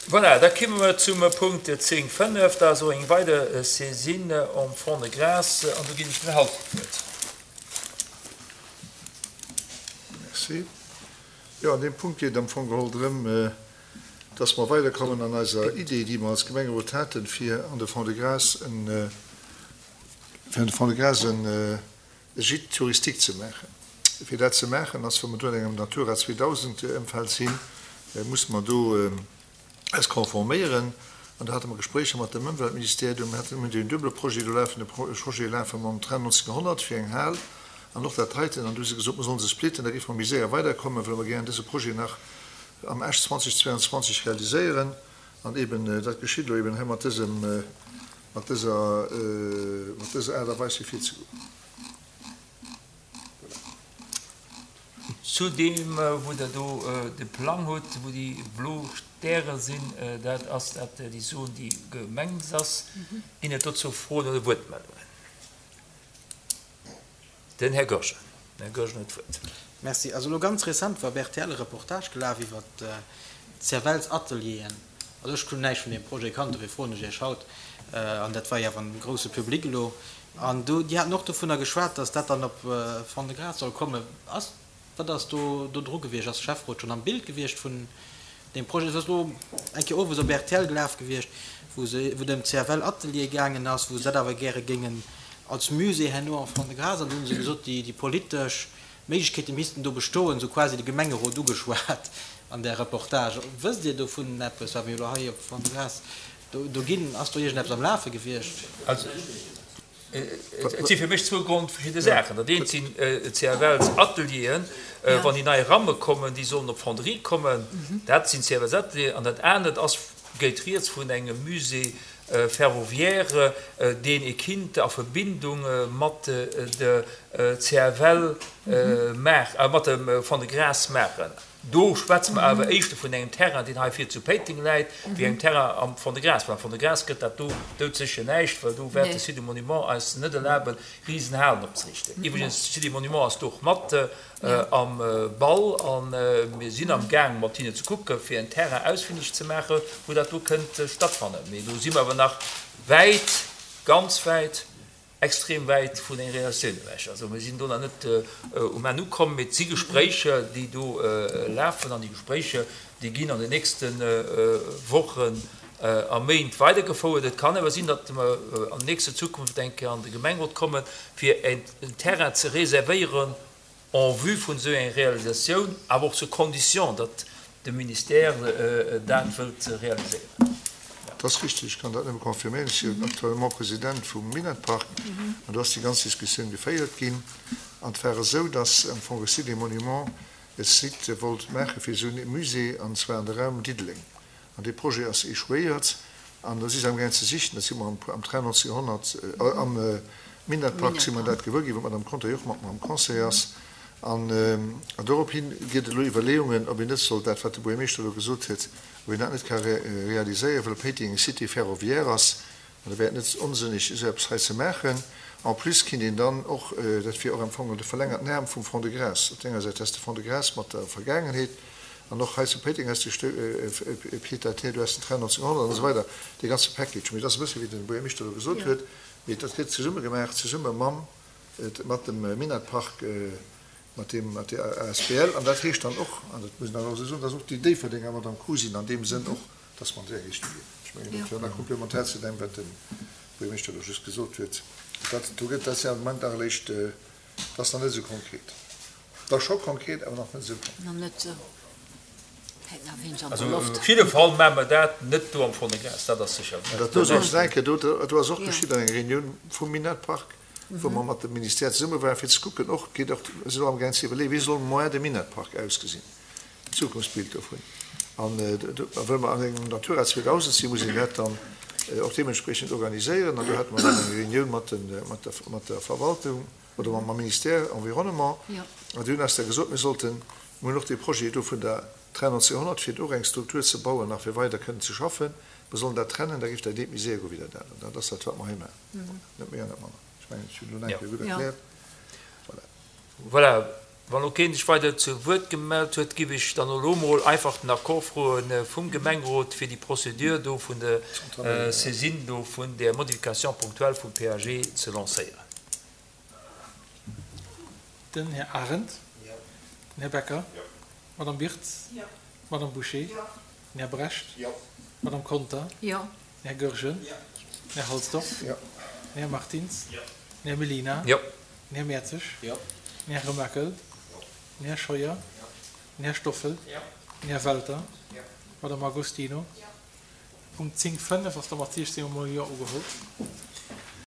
Voilà, da kimme mer zum Punkt 10, 5. Dat ass och eng weider Saisine en Fonds-de-Gras an do ginn ech dem Här Halsdorf d'Wuert. Merci. Jo, an deem Punkt geet et am Fong geholl drëm, dass mer weiderkommen an eiser Idee, déi mer als Gemengerot haten, fir an de Fonds-de-Gras en, fir an de Fonds-de-Gras en Gîte touristique ze maachen. Fir dat ze maachen, ass, wa mer do an engem Natura 2000 Ëmfeld sinn, musse mer do eis konforméieren. An do hate mer Gespréicher mat dem Ëmweltministère. Do hate mir en duebele Projet do lafen, e Projet lafe mam Train 1900 fir eng Hal an och dat heiten. An do hu se gesot, mer solle se splitten, da géife mer méi séier weiderkommen, well mer gären dëse Projet nach am Esch 2022 realiséieren. An eben dat geschitt elo eben hei mat dësem, mat dëser, mat dëser Aart a Weis fir virzegoen. Voilà. Zu deem, wou Der do de Plang hutt, wou déi blo Stäre sinn, dat ass dat déi Zon, déi gemengt ass. Ginn et dozou Froen oder Wuertmeldungen? Den Här Goergen. Den Här Goergen huet d'Wuert. Merci. Also elo ganz rezent war op rtl e Reportage gelaf iwwer d'CFLs-Atelieren. Also ech hunn näischt vun deem Projet kannt, dofir froen ech Iech haut. An dat war jo awer en grousse Public elo. An do, déi haten och dovunner geschwat, datt dat dann op Fond-de-Gras soll kommen. Ass, wat ass do do dru gewiescht? Ass de Schäfferot schonn am Bild gewiescht vun deem Projet? Et ass elo eng Kéier owes op rtl gelaf gewiescht, wou se, wou et ëm d'CFL-Ateliere gaangen ass, wou se dat awer gäre géingen als Musée herno en Fond-de-Gras. An do hu se gesot, déi, déi politesch Méiglechkeete missten do bestoen, esou quasi de Gemengerot ugeschwat an där Reportage. Wësst Dir dovun eppes, wat mir elo hei op Fond-de-Gras do, do ginn? Ass do iergendeppes am Lafe gewiescht? Also, et si fir mech zwou grondverschidde Saachen. Dat eent sinn d'CFLs-Atelieren, wann déi nei Ramme kommen, déi sollen op d'Fonderie kommen, dat sinn d'CFLs-Atelieren. An dat anert ass, geet rieds vun engem Musée ferroviaire, deen ee kinnt a Verbindung mat der CFL maachen, mat dem Fond-de-Gras maachen. Do schwätze mer awer éischter vun engem Terrain, deen hei vir zu Péiteng läit, wéi engem Terrain am Fond-de-Gras. Well am Fond-de-Gras gëtt dat do doudsécher näischt, well do wäert de Site des Monuments eis net erlaben, Risenhalen opzeriichten. Iwwregens, de Site des Monuments ass do och mat am Ball a mir sinn am Gaang mat hinne ze kucken, fir en Terrain ausfindeg ze maachen, wou dat do kënnt stattfannen. Mee do si mer awer nach wäit, ganz wäit, extrem wäit vun enger Realisatioun ewech. Also mir sinn do nach net um Enn ukomm, mee et si Gespréicher, déi do lafen an déi Gespréicher, déi ginn an den nächste Wochen a Méint weidergefouert. Et kann awer sinn, datt mer an nächster Zukunft eng Kéier an de Gemengerot kommen, fir en Terrain ze reservéieren en vue vun esou enger Realisatioun, awer och zur Condition, datt de Ministère dat wëllt realiséieren. Dat ass richtig, ech kann dat nëmme confirméieren. Ech si jo actuellement President vum Minett-Park an do ass déi ganz Diskussioun geféiert ginn. An et war esou, datt am Fong de Site des Monuments e Site wollt maache fir esou e Musée, an zwar an de Raum Diddeleng. An dee Projet ass échouéiert an da si se amgaang ze sichen, dat si mer am Train 1900, am Minett-Park si mer dat gewuer ginn, wou d'Madame Conter jo och mat mer am Conseil ass. An dorophi gëtt et elo Iwwerleeungen, ob een net soll dat, wat de Buergermeeschter elo gesot huet, ob een dat net ka realiséieren, well Péiteng eng Cité ferroviaire ass An da wär et net onsënneg, esou eppes hei ze maachen. En plus kinnt een dann och, dat wier och am Fong de verlängerten Aarm vum Fonds de Gras, op der enger Säit häss de Fonds de Gras mat der Vergaangenheet an och hei zu Péiteng häss de e Pied-à-terre, du häss den Train 1900 an esou weider, dee ganze Package. Mee et ass e bësse wéi de Buergermeeschter elo gesot huet, mee dat gëtt zesumme gemaach, zesumme mam, mat dem Minett-Park, mat deem, mat där asbl. An dat heescht dann och, an dat muss een dann och esou soen, dass och déi Déifferdenger mat am Coup sinn an deem Sënn och, dass mer an déi Richtung ginn. Ech mengen, dat wär nach komplementär zu deem, wat de Buergermeeschter elo just gesot huet. Dat do gëtt, dat ass jo am Moment nach eréischt, dat ass nach net esou konkret. Et ass scho konkret, awer nach net esou konkret. Nach net esou. Hänkt nach wéineg an der Also Loft. op jidde Fall maache mer dat net do am Fond-de-Gras, dat ass sécher. Dat do soll ech nach eng Kéier, do, do ass och geschitt an enger Reunioun vum Minett-Park, wou mer mat dem Ministère zesumme waren, fir ze kucken, och geet och, si elo amgaang ze iwwerleeën, wéi soll moar de Minett-Park ausgesinn. Zukunftsbild dovun. An wëll mer an engem Natura 2000 sinn, muss een dat dann och deementspriechend organiséieren. An do hate mer dann eng Reunioun mat mat der Verwaltung oder mam Ministère Environnement. An déi hunn eis da gesot, mir sollten, mir hunn och dee Projet do vun der Train 1900, fir och eng Struktur ze bauen, nach fir weider kënnen ze schaffen, mer sollen dat trennen, da géif dat eent méi séier goe wéi dat anert. An dat ass dat, wat mer hei maachen. Net méi an net manner. Ech mengen, ech hunn elo nach eng Kéier gutt erkläert. Voilà. Voilà. Wann elo keen sech weider zu Wuert gemellt huet, giff ech dann elo mol einfach den Accord froe vum Gemengerot fir déi Procédure do vun der Saisine do vun där Modification ponctuelle vum PAG ze lancéieren. Den Här Arendt. Den Här Becker. D'Madame Birtz. D'Madame Bouché. Den Här Brecht. D'Madame Conter. Den Här Goergen. Den Här Halsdorf. Den Här Martins. Den Här Mellina. Den Här Mertzig. Den Här Remakel. Den Här Scheuer. Den Här Stoffel. Den Här Welter. D'Madame Agostino. Punkt 10, 5 ass da mat 16 mol Jo ugeholl.